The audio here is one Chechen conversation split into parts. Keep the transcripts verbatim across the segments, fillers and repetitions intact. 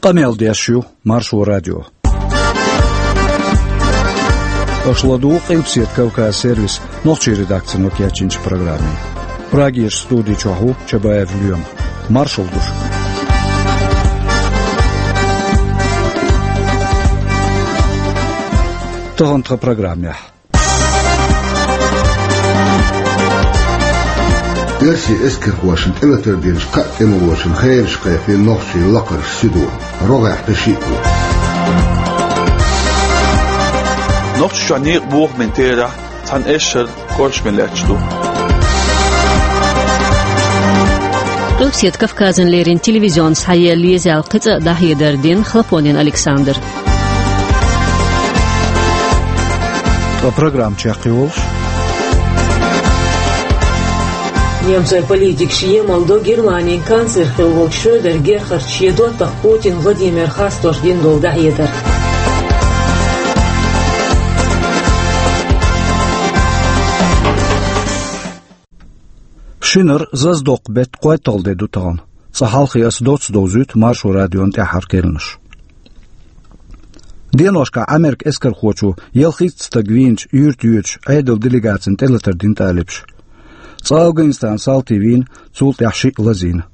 Къамел деш ю Маршо радио. Аша ладугӀу Къилбаседа Кавказ сервисан нохчийн редакцино кечйинчу программе. Прагерчу студи чохь ву Чабаев Лоьма. Маршалла ду шуьга. Тахана тхан программехь. Оьрсийн эскархошна тӀелатар динчу кхаа тӀемалошна хевшаш кхайкхина нохчийн лакхарчу суьдо. РогӀехь дан шиъ ду. Нохчийчохь некъан бохамийн терахь цхьана эшшара кӀоршаме лаьтташ ду. Къилбаседа Кавказана леррина телевизионна схьаелла езаьлла кхин цкъа а дӀахьедар дина Хлопонин Александра. Ткъа программа чекхйолуш. Немцойн политикаша емал до Германин канцлер хилла волчу Шредер Герхарда шен доттагӀа Путин Владимира хастош дина долу дӀахьедар. Шинара зазадоккху беттан кхойтталгӀа де ду тахана. Цкъа хьалхе аса доцца довзуьйту Маршо радион тӀаьххьара керланаш. Деношкахь Ӏамеркан эскархочо ялхитта стаг вийначу юьрта йоьдуш Ӏедалан делегацина тӀелатар дина талибаша. Цкъа Афганистанан салти вийна, цул тӀаьхьа шиъ лазийна.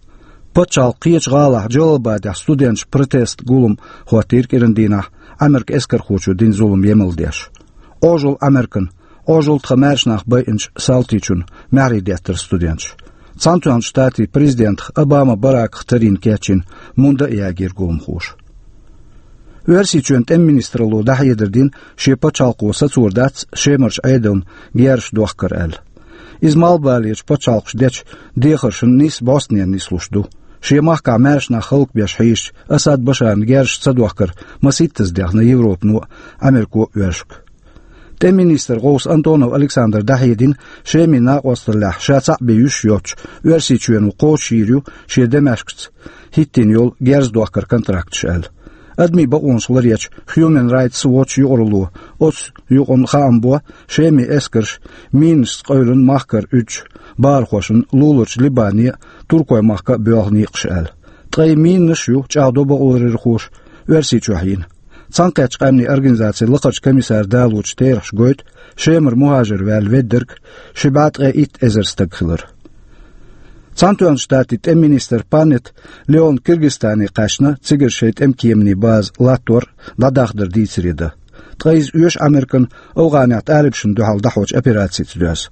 Пачхьалкхан кхечу гӀалахь Джалалабадехь студенташа протестан гулам хӀоттийра кӀиран дийнахь, Ӏамеркан эскархочо дина зулам емал деш. Ӏожалла Ӏамеркана, Ӏожалла тхан маьрша нах байинчу салтичунна, маьхьарий деттара студенташа. Цхьаьнатоьхначу Штатийн президентах Обама Бараках тарйина кечйина мунда а ягийра гуламхоша. Оьрсийчоьнан тӀеман министралло дӀахьедар дина, шен пачхьалкхо сацор дац Шемарчу Ӏедална герзаш дохкар аьлла. Иза малхбалерчу пачхьалкхаша дечу дехаршна нийсса бӀостанехьа нислуш ду. Шен махкахь маьрша нах хӀаллакбеш хьийзачу Асад Башарна герзаш ца дохкар масийттаза дехна Европано а, Ӏамерко а оьшург. ТӀеман министран гӀовс Антонов Александра дӀахьедина Шемин накъосталлехь ша цхьаъ бен юьсуш йоцчу Оьрсийчоьно кхочушйийр ю шен Дамаскаца хӀиттийна йолу герз дохкаран контракташ аьлла. Адамийн бакъонаш ларъечу Human Rights Watch юкъаралло оцу юкъана хаам бо Шемин эскарша минашца къевлина махкара уьдучу бахархошна луларчу Либане а, Туркойн махка а боьлху некъаш аьлла. Ткъа и минаш а ю чӀагӀдо бакъларъярхоша Оьрсийчохь йина. Цхьаьнакхеттачу къаьмнийн организацин лакхарчу комиссара далочу терахаша гойту Шемара мухӀажар ваьлла веддарг ши бӀе ткъе итт эзар стаг хилар. Цхьаьнатоьхначу Штатийн тӀеман министр Панетта Леона Киргизстане кхаьчна, цигара шайн тӀеман кеманийн база латтор а, дӀадахдар дийцаре дан. Ткъа иза оьшу Ӏамеркана АфгӀанехь талибашна дуьхьал дӀахьочу операцица доьзна.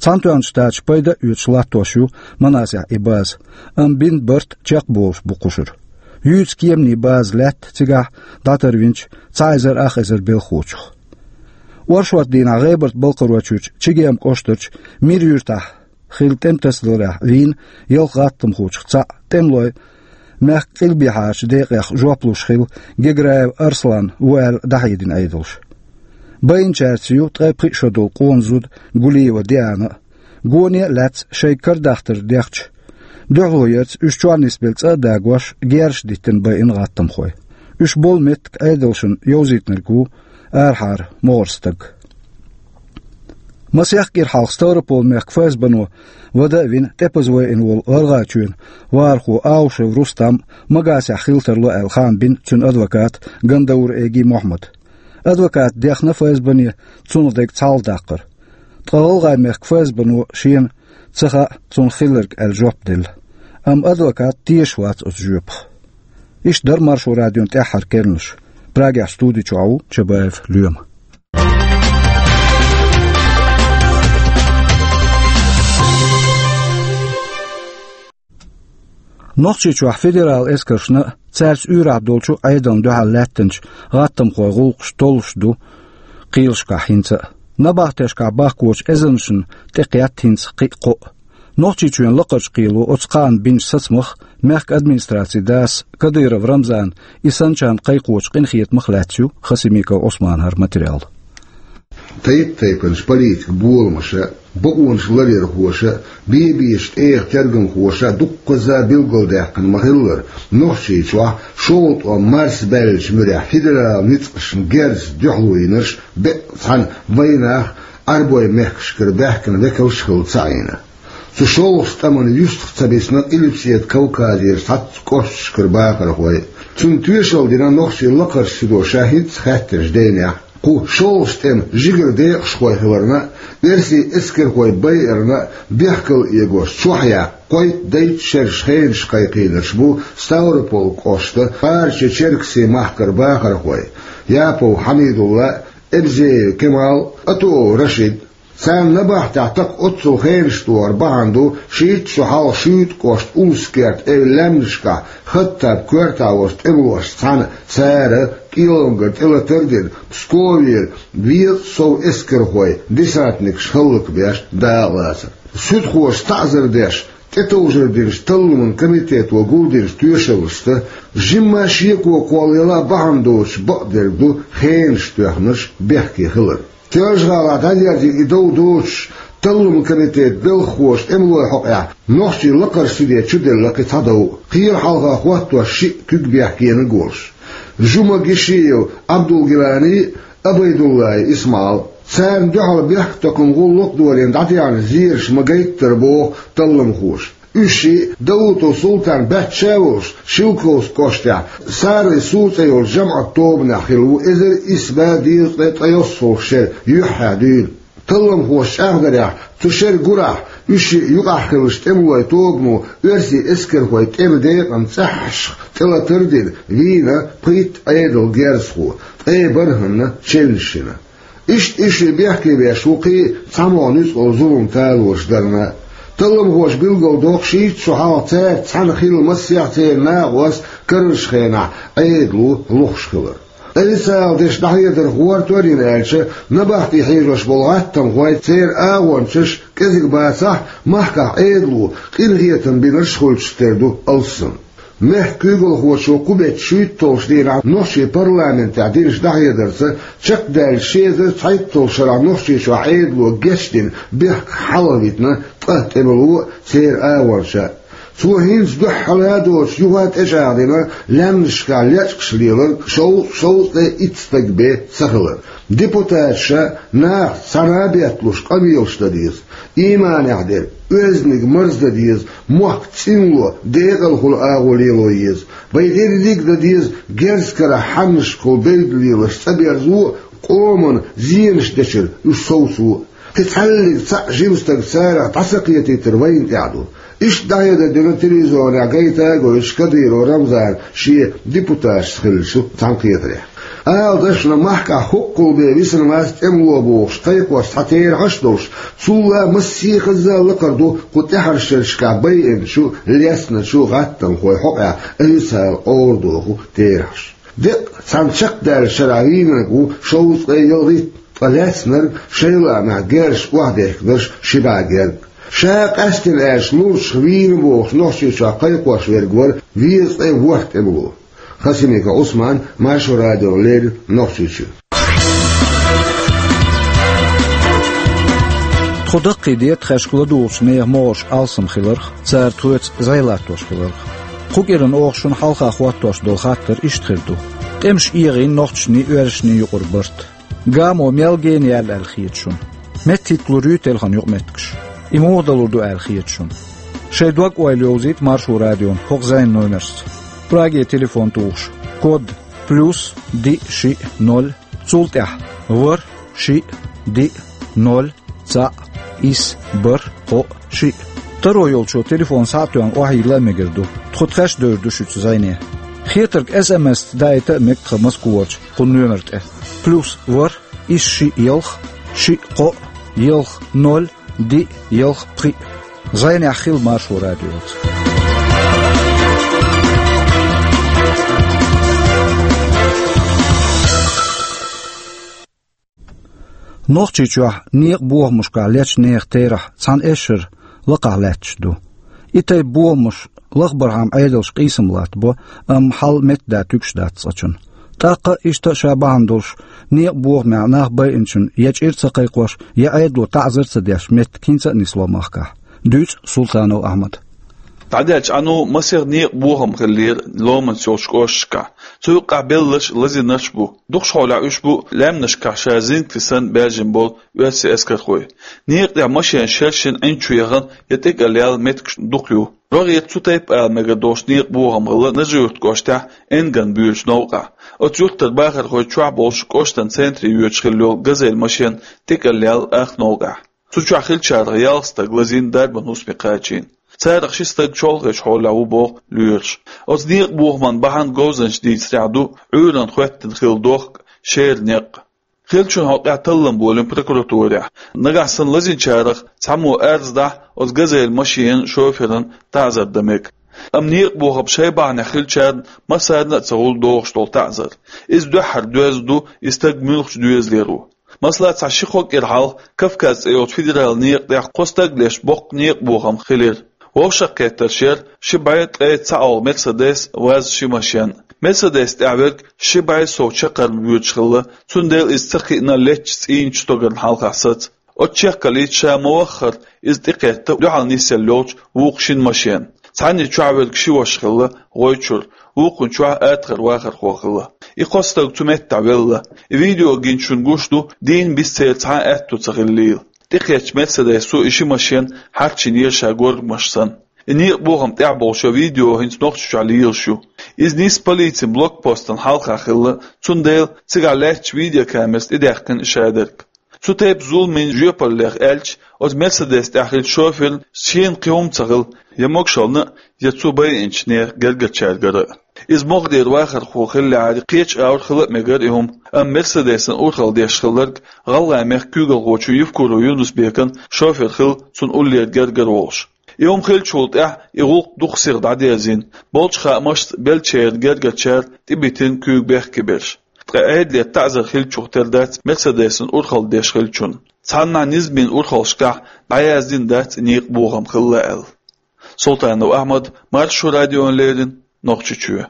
Цхьаьнатоьхначу Штаташа пайда а оьцуш латтош ю Манасехь и база, амма бина барт чекхболуш бу кхушара. Юьйцу кеманийн база лаьтта цигахь дӀатарвинчу цхьа эзар ах эзар белхахочух. Оршот дийнахь ГӀебарта-Балкхаройчуьрчу Чегем кӀоштарчу Мир юьртахь хилла тӀеман тасадаларехь вийна ялх гӀаттамхочух цхьаъ, тӀемалой мехкан къилбехьарчу декъех жоп луш хилла Геграев Арслан ву аьлла дӀахьедина Ӏедалша. Байинчаьрца ю ткъе пхиъ шо долу къона зуда Гулиева Диана а. Гоне а лаьцна шайга карадахтар дехча, дуьхьало ярца уьш чохь нисбелла цӀа а дагош, герзаш диттина байина гӀаттамхой. Уьш болу меттиг Ӏедалшна йовзийтинарг ву арахьара могӀара стаг. Масех кӀира хьалха Ставрополан мехкан ФСБ-но вада а вина, тӀепаза вайина волу ГӀаргӀачоьнан вахархо Аушев Рустам Магасехь хила тарло аьлла хаам бина цуьнан адвоката Гандаур Эги Мохьмада. Адвоката дехна ФСБ-не цунах дерг цхьалха даккхар. Ткъа ГӀалгӀайн мехкан ФСБ-но шена ца хаьа цунах хилларг аьлла жоп делла. Амма адвокат тешаш вац оцу жоьпах. Иштта дара Маршо радион тӀаьххьара керланаш. Прагехь студи чохь ву Чабаев Лоьма. Нохчийчохь федералан эскаршна а, цаьрца уьйрахь долчу Ӏедална дуьхьал лаьттинчу гӀаттамхойн гӀуллакхаш толлуш ду кхелашкахь хӀинца а. Набахтешкахь бахкочу эзарнашна тӀекхетта хӀинца кхин а кхоъ. Нохчийчоьнан лакхарчу кхело оцу кхаанна бинчу сацамах мехкан администрацин дас Кадыров Рамзана и санначарна кхайкхочу къинхетамах лаьцна ю Хасимиков Ӏусманан хӀара материал. Тайп-тайпанчу политикан боламаша, бакъонаш ларъярхоша, бе-бешан тӀегӀан тергамхоша дуккхазза билгалдаьккхина ма-хиллара, Нохчийчохь шолгӀа тӀом марсабаьллачу муьрехь федералан ницкъашна герзаца дуьхьало йинарш беккъа цхьана вайнах а, Ӏарбойн мехкашкара баьхкина векалш а хилла ца Ӏийна. Цу шолгӀачу тӀаман юьстах ца бисна Къилбаседа Кавказера цхьацца кӀошташкара бахархой. Цунна тоьшалла дина нохчийн лакхарчу судо ша хӀинцца хаьттинчу денехь. Кху шолгӀачу тӀеман жигара декъашхой хиларна а, оьрсийн эскархой байарна а бехкалла эгош чохь яккха кхойтта-дейтта шераш хенаш кхайкхийнарш бу Ставрополь кӀоштан Барча-Черкасийн махкара бахархой: Япов Хьамидулла, Эбзеев Кемал, Атуов Рашид. Царна набахтехь тӀаккха оццул хенаш тохар бахьана ду, шийтта шо хьалха Шуьйтан кӀоштан Улус-Керта эвла лаьмнашкахь Хаттаб коьртехь волчу тӀемалошца цхьаьна цара, кӀелангара тӀелатар а дина, Псковера везткъа сов эскархой, десантникаш хӀаллакбеш дакъалацар. Суьдхоша таӀзар деш, тӀетовжар динчу талламан комитето гулдинчу тоьшаллашца, жимма шеко кхоллаяла бахьана доцуш бакъдерг ду хенаш тоьхнарш бехке хилар. Соьлжа-ГӀалахь дӀадерзийна и дов доцуш, талламан комитетан белхахоша тӀемалойн хьокъехь нохчийн лакхарчу суде чуделла кхин цхьа дов, кхера хьалха хӀоттош шиъ куьг бехкениг а волуш: Жума-Гишиев Ӏабдулгилани а, Ӏубайдуллаев ИсмаӀал. Царна дуьхьал бехктакхаман гӀуллакх а долийна дӀатаьхьна зераш ма-гайттара, боху талламхоша. Уьш шиъ Даутов Султан баьчча а волуш, Шелковски кӀоштехь Саррий Сур цӀе йолчу жамӀат тобанехь хилла ву эзар исс бӀе дезткъе ткъайоьссалгӀачу шеран юьххьехь дуьйна. Талламхоша чӀагӀдарехь, цу шеран гурахь уьш шиъ юкъахь хиллачу тӀемалойн тобано оьрсийн эскархойн тӀеман декъан цӀеххьашха тӀелатар а дина, вийна пхийтта Ӏедалан герзахо, ткъе бархӀанна челнаш йина. Иштта уьш шиъ бехке беш ву кхин а цхьамогӀа нуьцкъала зулам талораш дарна. Талламхоша билгалдоккху шийтта шо хьалха цаьрца цхьаьна хилла массех а церан накъост карарчу хенахь Ӏедало лохуш хилар. Официалан дешнаш дӀахьедар гӀортор а йина аьлча, набахте хьежош болу гӀаттамхой, церан агӀончаш, кӀезиг бацахь а, махкахь Ӏедало къинхетам бинарш а хуьлуш тера ду алссам. Мехкан куьйгалхочо кху беттан шуьйтталгӀачу дийнахь нохчийн парламентехь динчу дӀахьедарца, чекхдаьллачу ши эзар цхьайтталгӀачу шарахь Нохчийчохь Ӏедало гечдина бехках хьалхавитина ткъа тӀемало а, церан агӀончаш а. Цо хӀинца дуьххьара а доцуш юха а тӀечӀагӀдина лаьмнашкахь лечкъаш леларг шовзткъа, шовзткъе итт стаг бен ца хилар. Депутаташа нахаца цхьаьна а бетталуш къамелаш дан деза. Ийманехь дерг, оьзданиг марздан деза, мохк цӀинло, декъалхула агӀо лело еза. Вайн дерриг а дан деза герз карахь хьаннашкахула белгалонаш цӀа берзо а, къоман зенаш дечуьра уьш совцо а. Кхин цхьаллиг цхьаъ жима стаг царах дӀа ца кхетийтар вайна тӀехь ду. Иштта дӀахьедар дина телевизионехь гайта а гойтуш Кадыров Рамзана шен депутаташца хиллачу цхьаьнакхетарехь. Ала дашна, махкахь хӀоккхул бен висина вац тӀемало бохуш кхайкхош цхьа терахьаш а долуш, цул а массехаза лакхара ду кху тӀаьхьарчу шерашкахь байинчу, лецначу гӀаттамхойн хьокъехь официалан къовра доху терахьаш. Деккъа цхьана чекхдаьллачу шарахь вийнарг ву шовзткъе ялхитта, ткъа лаьцнарг, шайн лаамехь герзаш охьадехкинарш, ши бӀе герга. Ша къаьстина аьлча лурчух вийна бохуш Нохчийчохь кхайкхош верг вара везткъе ворхӀ тӀемало. Хасимиков Ӏусман, Маршо радиона леррина Нохчийчуьра. Тхо даккхийдира тхаьшка ладугӀучу нехан могӀарш алсам хиларх, цара тхоьца зӀе латтош хиларх. Кху кӀиран оха шуна хьалха хӀоттош долу хаттар иштта хир ду: тӀемаш эгӀийна нохчашний, оьрсашний юкъара барт? Гамо мел гена яьлла аьлла хета шуна? МеттахӀитталур юй телефон юкъаметтигаш? И муха далур ду аьлла хета шуна? Шайн дог-ойла йовзийта Маршо радион хӀокху зӀенан номерца. Праге телефон тухуш, код плюс диъ шиъ ноль, цул тӀаьхьа ворхӀ шиъ диъ ноль цхьаъ исс бархӀ кхоъ шиъ. Таро йолчо телефон схьа а тоьхна охьайилла а мегар ду. Тхо тхаьш а девр ду шуьца зӀене. Хетарг эс эм эс-ца даийта а мега тхан Москварчу кху номер тӀе: плюс ворхӀ исс шиъ ялх, шиъ кхоъ, ялх ноль, диъ ялх пхиъ. ЗӀенехь хила Маршо радиоца. Нохчийчохь некъан бохамашкахь лечу нехан терахь цхьана эшшара лакхахь лаьтташ ду. И тайпа бохамаш лахбархьама Ӏедалша къийсам латтабо, амма хьал меттадан туьгуш дац цкъачунна. ТӀаккха а, иштта а ша бахьана долуш, некъан бохамехь нах байинчунна я чӀир ца кхайкхош, я Ӏедало таӀзар ца деш меттиг хӀинца а нисло махкахь. Дуьйцу Султанов Ахьмада. ДӀадаьллачу Ӏаьно масех некъан бохам хиллера ломанца йолчу кӀошташкахь. Цу юккъехь белларш лазийнарш а бу. Дукхахьолахь уьш бу лаьмнашкахь ша зингатий санна баьржина болу оьрсийн эскархой. Некъа тӀехь машенаш шершина, Ӏин чу яхана я тӀекӀел яьлла меттигаш дукха ю. РогӀера цу тайпа ала мегар долуш некъан бохам хилла Нажи-Юрт кӀоштахь Энган боьдучу новкъахь. Оцу юьртара бахархой чохь болуш кӀоштан центре йоьдуш хилла йолу газель машен тӀекӀел яьлла ах новкъахь. Цу чохь хиллачарах ялх стаг лазийна, дарбан хӀусаме кхачийна. Царах ши стаг чолхечу хьолехь ву боху лоьраша. Оцу некъан бохаман бахьана говзанчаша дийцарехь ду Ӏуьйранна хӀоьттина хилла дохк, шера некъ. Хиллачун хьокъехь таллам болийна прокуратурехь. Нагахь санна лазийначарах цхьаммо арз дахь, оцу газель машенан шоферан таӀзар дан мега. Амма некъан бохам шайн бахьанехь хиллачарна массарна а ца хуьлу догӀуш долу таӀзар. Иза дуьххьара доьзна ду, и стаг муьлхачу доьзалера ву. Масала, цхьа ши-кхо кӀира хьалха Кавказ цӀе йолчу федералан некъа тӀехь кхо стаг леш боккха некъан бохам хилира. Вовшахкхеттарш яра ши бӀе ткъе цхьаалгӀа Мерседес, ВАЗ ши машен. Мерседес тӀехь верг ши бӀе сов чаккхарма воьдуш хилла, цундела иза ца кхиъна леттачу цӀийнчу стогарна хьалхахь саца. Оцу чекхаллица ша ма-ваххара иза тӀекхетта дуьхьал нисъелла йолчу вукху шина машенна. Цхьанна чохь верг ши ваша хилла, гӀой чуьра, вукхунна чохь атхара вахархо хилла. И кхо стаг цу меттехь велла. И видео гинчунна гуш ду, дийнна биса церан цхьа а аьтто ца хиллийла. ТӀекхеттачу Мерседесо и ши машен хьарчийнера ша горгамаш санна. И некъан бохам тӀехь болчу видео хӀинца Нохчийчохь лелаш ю. Иза нисса полицин блокпостана хьалха хилла, цундела цигахь лаьттачу видеокамерас тӀедаьккхина и шадерг. Цу тайпа зуламийн жоьпаллех аьлча, оцу Мерседес тӀехь хиллачу шоферна шена кхин хӀума ца хилла, я могушаллина а, я цо байинчу нехан гергарчаьргара а. Иза могӀа дера вахархо хиллехьара, кхечу агӀор хила а мегара и хӀума, амма Мерседесан урхалла деш хилларг ГӀалгӀайн мехкан куьйгалхочун Евкуров Юнус-Бекан шофер хилла, цунна уллера гергара волуш. И хӀума хиллачул тӀаьхьа и гӀуллакх дукха сиха дӀадерзийна, болчу хаамашца беллачеран гергарчара тӀебитина куьйга бехке берш. Ткъа Ӏедалера таӀзар хиллачух тера дац Мерседесан урхалла деш хиллачунна. Цхьаннахьа низамийн урхаллашкахь дӀаяздина дац и некъан бохам хилла аьлла. Султанов Ахьмад, Маршо радиона леррина, Нохчийчоь.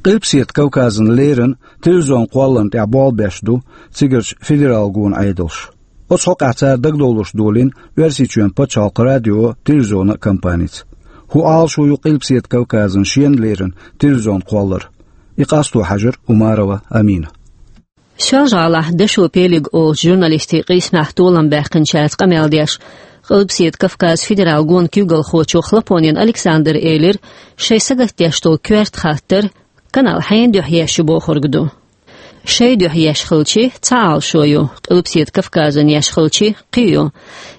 Къилбаседа Кавказан леррина телевизионан кхолларна тӀехь болх беш ду цигарчу федералан гонан Ӏедалш. Оцу хьокъехь цара дагадовларш долийна Оьрсийчоьнан пачхьалкхан радион, телевизионан компаница. ХӀун Ӏалашо ю Къилбаседа Кавказан шена леррина телевизионан кхолларан? И къасто хьаьжира Умарова Амина. Соьлжа-ГӀалахь «Дашо пелиг» олучу журналистийн къийсамехь толам баьккхинчаьрца къамел деш, Къилбаседа Кавказан федералан гонан куьйгалхочо Хлопонин Александра элира, шайн сагатдеш долу коьрта хаттар: «Канал хьенан дуьхьа еш ю?» бохург ду. Шайн дуьхьа еш хилчи, цхьа Ӏалашо ю, Къилбаседа Кавказан еш хилчи, кхин ю.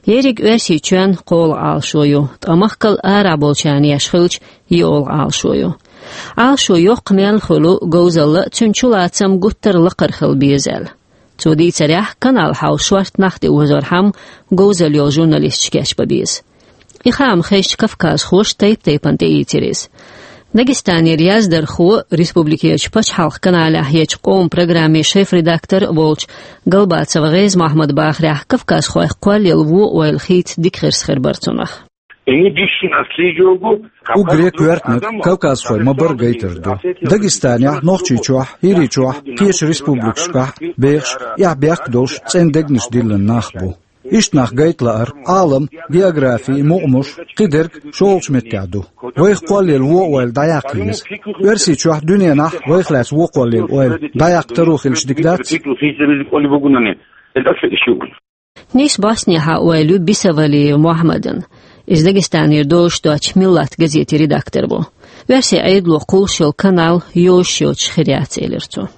Ерриг Оьрсийчоьнан кхоалгӀа Ӏалашо ю, ткъа махкал арахь болчарна еш хилча, йоьалгӀа Ӏалашо ю. Ӏалашо йоккха мел хуьлу говзалла а, цуьнан чулацам гуттар а лакхара хила беза аьлла. Цо дийцарехь, канал хьалха шорта нах тӀеозорхьама, говзалла йолу журналисташ кечбан беза. И хаам хезча, кавказхоша тайп-тайпана тӀеийцира иза. Дагестанера яздархо, республикерчу пачхьалкхан каналехь ечу «Къоман» программин шеф-редактор а волчу Галбацов ГӀеза-Мохьмадан бахарехь, кавказхойх кхоллаелла вон-ойла хийца дика хирс хир бара цунах. Они дальше наследуют. Уггаре коьртаниг кавказхой ма-барра гайтар ду. Дагестанехь, Нохчийчохь, ХӀирийчохь, кхечу республикашкахь бехаш, эхь-бехк долуш, цӀена дегнаш диллина нах бу. Иштта нах гайта лаар, Ӏалам, географи, мукъамаш, кхидерг шолгӀачу меттехь ду. Вайх кхоллаелла вон-ойла дӀаяккха еза. Оьрсийчохь, дуьненахь вайх лаьцна вон кхоллаелла ойла дӀаяккха таро хилча дика дац? Нийса боснехьа ойла ю Бисавалиев Мохьмадан. Иза Дагестанера дозуш-доцучу «Миллат» газетан редактор ву. Оьрсийн Ӏедало кхуллуш йолу канал йозуш йоцуш хир яц, элира цо.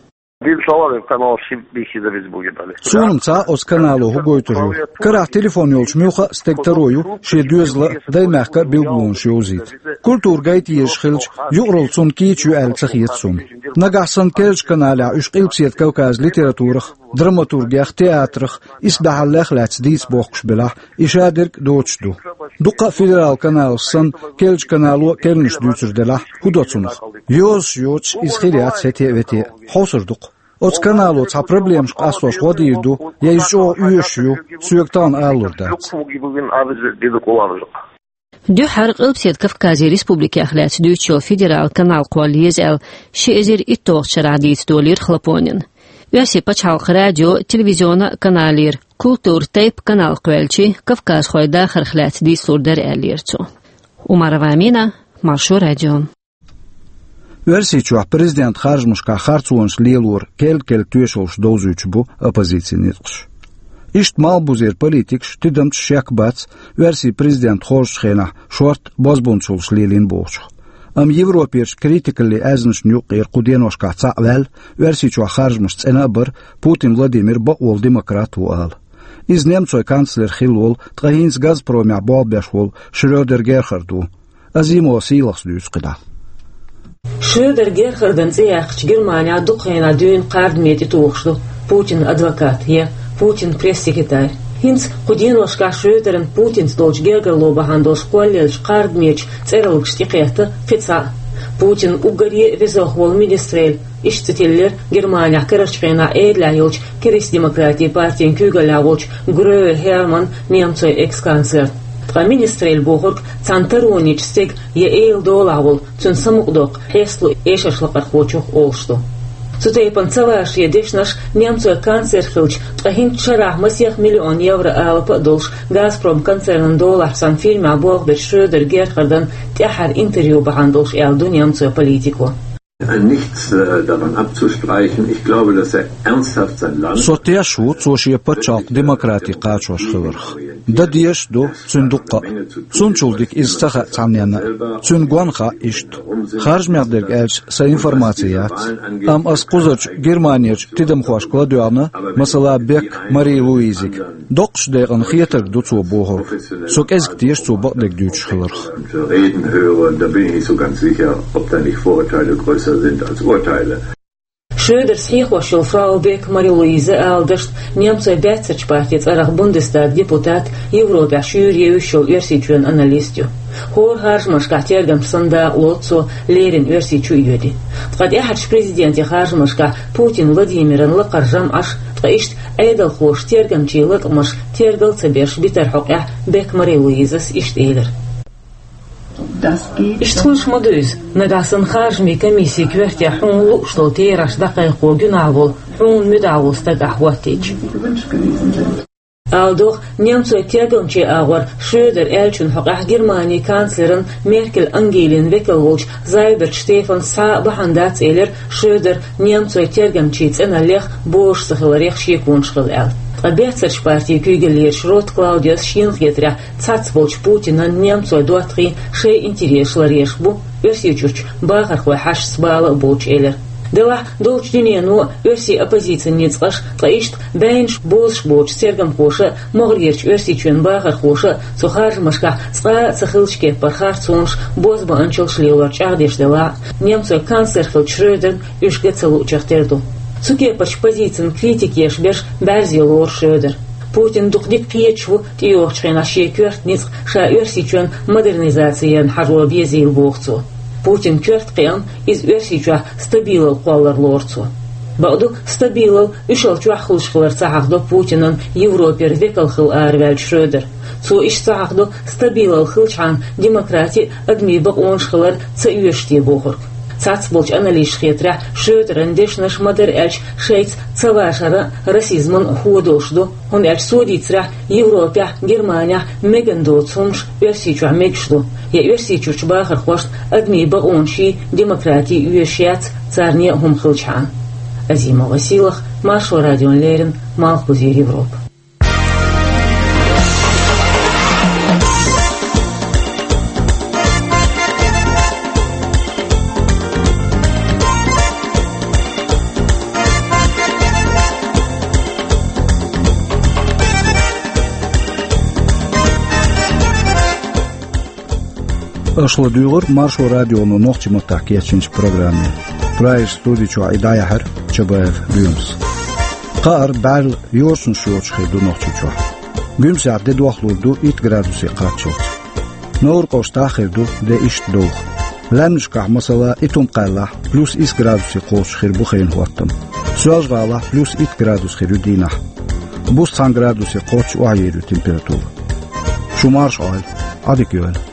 Суна-м ца хаьа оцу канало хӀун гойтур ю. Карахь телефон йолчу муьлхха а стеган таро ю шен доьзала а, даймехкан а билгалонаш йовзийта. Культура гайта езаш хилча, юкъаралла цунна кийча ю аьлла ца хета суна. Нагахь санна керлачу каналехь уьш Къилбаседа Кавказан литературах, драматургех, театрах, исбаьхьаллех лаьцна дийца бохкуш белахь, и шадерг доцуш ду. Дуккха а федералан каналаш санна, керлачу канало а керланаш дуьйцур делахь, хӀун до цунах? Йозуш йоцуш иза хир яц хӀетте а, вете а. Хьовсур ду-кх. Оцу канало цхьа проблемаш къастош гӀо дийр ду, я иза чӀогӀа оьшуш ю, соьга тахана алалур дац. Дуьххьара Къилбаседа Кавказан республикех лаьцна дуьйцуш йолу федералан канал кхолла еза аьлла, ши эзар итталгӀачу шарахь дийца долийра Хлопонина. Оьрсийн пачхьалкхан радион, телевизионан а каналера «Культура» тайпа канал кхоьлличи, кавказхойн дахарх лаьцна дийцалур дара, аьллера цо. Умарова Амина, Маршо радио. Оьрсийчохь президент харжамашкахь харцонаш лелоран керла-керла тоьшаллаш довзуьйтуш бу оппозицин ницкъаша. Иштта малхбузера политикаш, тидамчаш шек бац, Оьрсийн президент хоржучу хенахь шортта бозбунчаллаш лелийна бохучух. Амма Европерчу критикаллин аьзнашна юккъера кху деношкахь цхьаъ ваьлла, Оьрсийчохь харжамаш цӀена а бара, Путин Владимир бакъволу демократ ву ала. Иза немцойн канцлер хилла волу, ткъа хӀинца Газпромехь болх беш волу Шрёдер Герхард ву. Азимова Сийлахьас дуьйцу кхидӀа. Шрёдер Герхардан цӀе яьккхича Германехь дукха хенахь дуьйна кхардаме тӀетухуш ду Путинан адвокат я Путинан пресс-секретарь. ХӀинца кху деношкахь Шрёдеран Путинца долчу гергарло бахьана долуш кхоллаеллачу кхардамечу цӀералгаш тӀекхетта кхин цхьаъ. Путинан уггаре а везох волу министрелла, иштта цӀе тиллира Германехь карарчу хенахь Ӏедалехь йолчу Кристдемократийн партин куьйгаллехь волчу Гроя Херман, немцойн экс-канцлер. Ткъа министрелла бохург цхьана таронечу стеган я эла долахь волу, цуьнан самукъадоккху хьесталан эшарш лакхархочух олуш ду. Цу тайпана ца ваша шен дешнаш немцойн канцлер хилча ткъа хӀинца шарахь масех миллион евро алапа а долуш, Газпром концернан долахь санна фирмехь болх бечу Шрёдер Герхардан тӀаьххьара интервью бахьана долуш аьлла ду немцойн политико. Nichts äh, daran abzustreichen. Ich glaube, dass er ernsthaft sein Land. Со тешаш ву цо шен пачхьалкх демократи кхачош хиларх. Дан дезаш а ду цуьнан дуккха а. Цунна чул дика иза ца хаьа цхьанненна а. Цуьнан гонах а иштта. Харжамех дерг аьлча, сан информаци яц. Амма ас кхузарчу Германерчу тидамхошка ладоьгӀна, масала, Бек Мари-Луизига. Доккхачу декъана хетарг ду цо бохург. Со кӀезиг теша цо бакъдерг дуьйцуш хиларх. Reden höre, da bin ich nicht so ganz sicher, ob da nicht Vorurteile größer sind als Urteile. Шрёдерс хьехош йолу Фрау Бек Мари-Луиза ала дашна немцойн баьццарчу партин цӀарах Бундестаган депутат, Европехь шуьйра евзаш йолу Оьрсийчоьнан аналист ю. ХӀора харжамашкахь тергамча санна дакъалоцу цо, леррина Оьрсийчу а йоьду. Ткъа тӀаьхьарчу президентийн харжамашкахь Путин Владимиран лакхара жамӀаш, ткъа иштта Ӏедалхоша тергамчийн латкъамаш тергал ца беш битарх хьокъехь Бек Мари-Луизас иштта элира. Иштта хуьлуш ма ду иза, нагахь санна харжамийн комиссин коьрте хьуна лууш долу терахьаш дӀакхайкхо гуьнахь волу, хьуна муьтӀахь волу стаг ахь хӀоттийча. Ала догӀу, немцойн тергамчийн агӀор Шрёдер аьллачун хьокъехь Германин канцлеран Меркель Ангелин векал волчу Зайберт Штефанс схьа а бахьана дац элира Шрёдер немцойн тергамчийн цӀеналлех, божаш ца хиларех шеконаш хилла аьлла. Ткъа баьццарчу партин куьйгаллерчу Рот Клаудиас шена хетарехь цхьацца болчу Путинан немцойн доттагӀийн шайн интересаш ларъеш бу, Оьрсийчуьрчу бахархойн хьашташца бала а боцуш элира. Делахь долчу дуьнено а, оьрсийн оппозицин ницкъаша, ткъа иштта байнаш бозуш боцуш тергамхоша а, могӀарерчу Оьрсийчоьнан бахархоша а цу харжамашкахь цкъа а ца хиллачу кеппара харцонаш, бозбуунчаллаш лелор чӀагӀдеш делахь а, немцойн канцлер хиллачу Шрёдерна уьш ган ца луучух тера ду. Цу кепарчу позицин критика еш берш бӀаьрзе лору Шрёдер. Путин дукха дика кхеташ ву тӀейогӀучу хенахь шен коьрта ницкъ ша Оьрсийчоьнан модернизаци ярна хьажо безийла, боху цо. Путинан коьрта кхиам иза Оьрсийчохь стабилал кхоллар лору цо. Бакъду, стабилал уьш ал чохь хуьлуш хилар ца хьахдо Путинан Европера векал хилла араваьллачу Шрёдера. Цо иштта ца хьахдо, стабилал хилчхьана демократи а, адамийн бакъонаш хилар ца оьшуш те бохург. Цхьацца болчу аналисташна хетарехь, Шрёдеран дешнаш, ма-дарра аьлча, шайца цавашаран а, расизман а хӀу долуш ду, хӀунда аьлча цо дийцарехь, Европехь, Германехь меган доцу хӀумнаш Оьрсийчохь мегаш ду, я Оьрсийчуьрчу бахархошна адамийн бакъонаший, демократий оьшуш яц, царна яа хӀума хилчхьана. Азимова Сийлахь, Маршо радиона леррина, Малхбузера Европа. Аша ладуьйгӀира Маршо радионо нохчийн маттахь кечйинчу программе. Прагерчу студи чохь и дӀаяьхьира Чабаев Гуьмас. Кхаара бӀаьрла йоршанаш йоцуш хир ду Нохчийчохь. Гуьмсехь де дохлур ду итт градусе кхаччалц. Невран-КӀоштахь хир ду де иштта довха. Лаьмнашкахь, масала, Итум-Кхаьллахь плюс исс градусе кхочуш хир бу хенан хӀоттам. Соьлжа-ГӀалахь плюс итт градус хир ю дийнахь. Буьйса цхьана градусе кхоччуш охьаер ю температура. Шу марша Ӏойла, Ӏадика йойла.